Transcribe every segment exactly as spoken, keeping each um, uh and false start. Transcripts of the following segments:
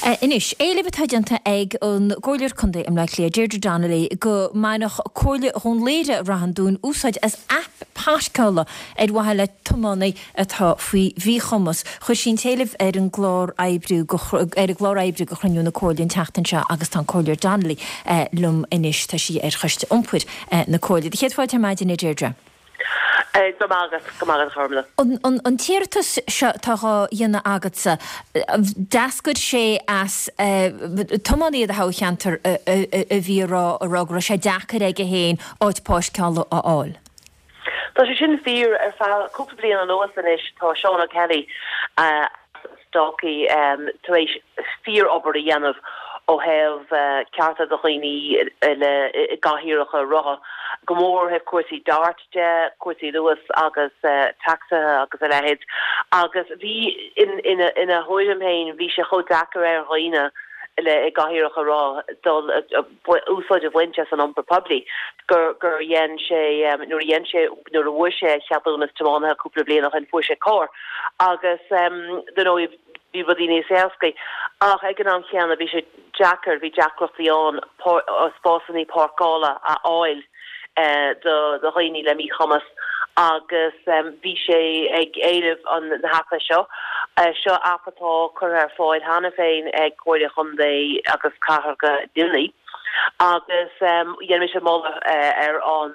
Anois, éileamh atá déanta ag an gComhairleoir Contae i mBleá Cliath, Deirdre Donnelly, go mbainfeadh Comhairle Dhún Laoghaire-Rath an Dúin úsáid as aip páirceála ar mhaithe le tiománaí atá faoi mhíchumas. Chuir sí an t-éileamh ar an gclár oibre ar an gclár oibre do chruinniú na Comhairle an tseachtain seo agus tá an Comhairleoir Donnelly liom anois. Tá sí ar Choiste Iompair na Comhairle. Céad fáilte ar maidin, a Deirdre. Go maith agat, go maith agat, a Chormaic. An an t-iarratas seo atá dhá dhéanamh agatsa, d'eascair sé as tiománaí i do thoghcheantar a bhí a rá a rá go raibh sé deacair aige féin áit páirceála a fháil. Tá sé sin fíor. Ar feadh cúpla bliain anuas anois tá Seán O'Kelly as Dalkey tar éis fíor-obair a dhéanamh ó thaobh cearta do dhaoine le i gcathaoireacha rotha, go mór ó thaobh cúrsaí DART de, cúrsaí Luas agus tacsaithe agus a leithéid. Agus bhí, ina ina thuairim féin, bhí sé chomh deacair ar dhaoine le i gcathaoireacha rotha dul úsáid a bhaint as an iompar poiblí gur gur dhein sé nuair a dhein sé nuair a bhfuair sé a cheadúnas tiománaithe cúpla bliain ó shin fuair sé carr agus dar ndóigh bhí rudaí níos éascaí ach ag an am chéanna bhí sé deacair bhí deacrachtaí ann spásanna páirceála a fháil do do dhaoine le míchumas agus bhí sé ag éileamh an na haipe seo. Seo aip atá curtha ar fáil cheana féin ag Comhairle Chontae agus Cathrach Luimnigh agus dhein mise moladh ar an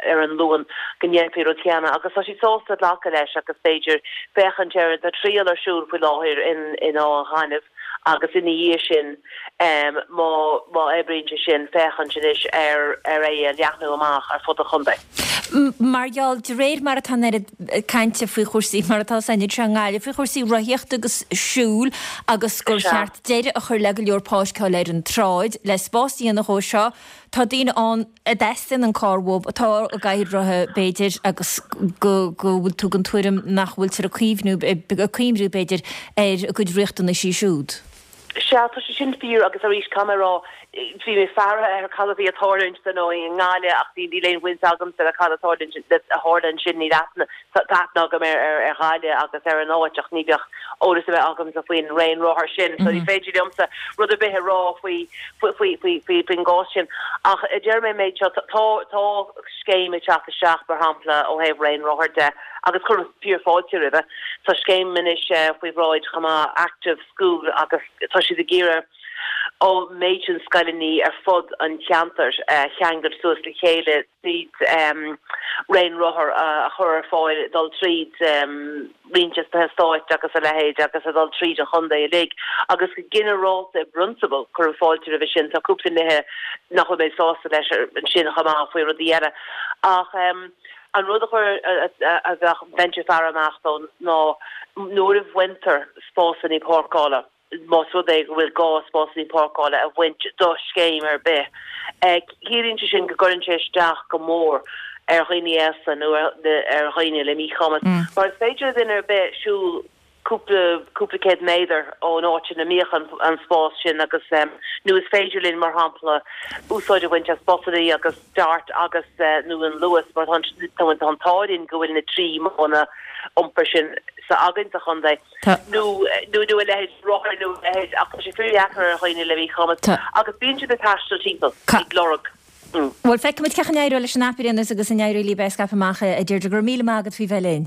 ar an Luan go ndéanfaí rud céanna agus tá siad sásta glacadh leis agus b'fhéidir féachaint ar tá triail ar siúl faoi láthair in in Áth an Ghainimh agus ina dhiaidh sin má má oibríonn sé sin féachaint anois ar ar é a leathnú amach ar fud an chontae. Mar gheall, de réir mar atá an oiread cainte faoi chúrsaí mar atá san anseo i nGaillimh, faoi chúrsaí rothaíochta agus siúil agus gur cheart deireadh a chur le go leor páirceáil ar an tsráid le spás a dhéanamh dhó seo, tá daoine ann a dteastaíonn an carr uathu, atá i gcathaoir rotha b'fhéidir agus go go bhfuil tú den tuairim nach bhfuiltear ag cuimhniú, ag cuimhniú b'fhéidir ar a gcuid riachtanaisí siúd. Sea, tá sé sin fíor agus arís caithfidh mé a rá, bhí mé ag faire ar cad a bhí ag tarlúint dar ndóigh i nGaillimh ach ní níl aon bhaint agamsa le cad a tarlúint a tharla ansin níl aithne tá aithne agam ar ar ar Ghaillimh agus ar an áit ach ní bheadh eolas ar bith agamsa faoin raon rothar sin so ní féidir liomsa rud ar bith a rá faoi faoi faoi faoi faoin gcás sin ach deir mé méid seo tá tá scéim ag teacht isteach mar shampla ó thaobh raon rothar de agus cuirim fíor fáilte roimhe tá scéim anois faoi bhráid chomh maith Active School agus tá siad ag iarraidh an méid sin scoileanna ar fud an cheantair a cheangal suas le chéile tríd raon rothar a chur ar fáil dul tríd roinnt de na heastáit agus a leithéid agus a dhul tríd an chontae uilig agus go ginearálta i bprionsabal cuirim fáilte roimhe sin tá cúpla nithe nach bhfuil mé sásta leis ansin chomh maith faoi rudaí eile ach an rud a chur a bheadh bheinnse ag faire amach dó ná nuair a bhaintear spásanna páirceála más rud é go bhfuil gá spásanna páirceála a bhaint do scéim ar bith. Ciallaíonn sé sin go gcuireann sé isteach go mór ar dhaoine aosta nó ar dhaoine le míchumas. Mar is féidir le duine ar bith siúl cúpla cúpla céad méadar ón áit ina mbíodh an an spás sin agus nó is féidir linn mar shampla úsáid a bhaint as busanna agus DART agus nó an Luas mar tá tá an t-ádh linn go bhfuil na trí modhanna iompair sin sa againn sa chontae nó nó nó a leithéid rothar nó a leithéid ach tá sé fíordheacair ar dhaoine le míchumas agus bíonn siad ag taisteal timpeall ag lorg. Bhuel feicfimid cén chaoi a n-éireoidh leis an aip ar aon nós agus an éireoidh libh é a scaipeadh amach a Deirdre go raibh míle maith agat faoi bheith linn.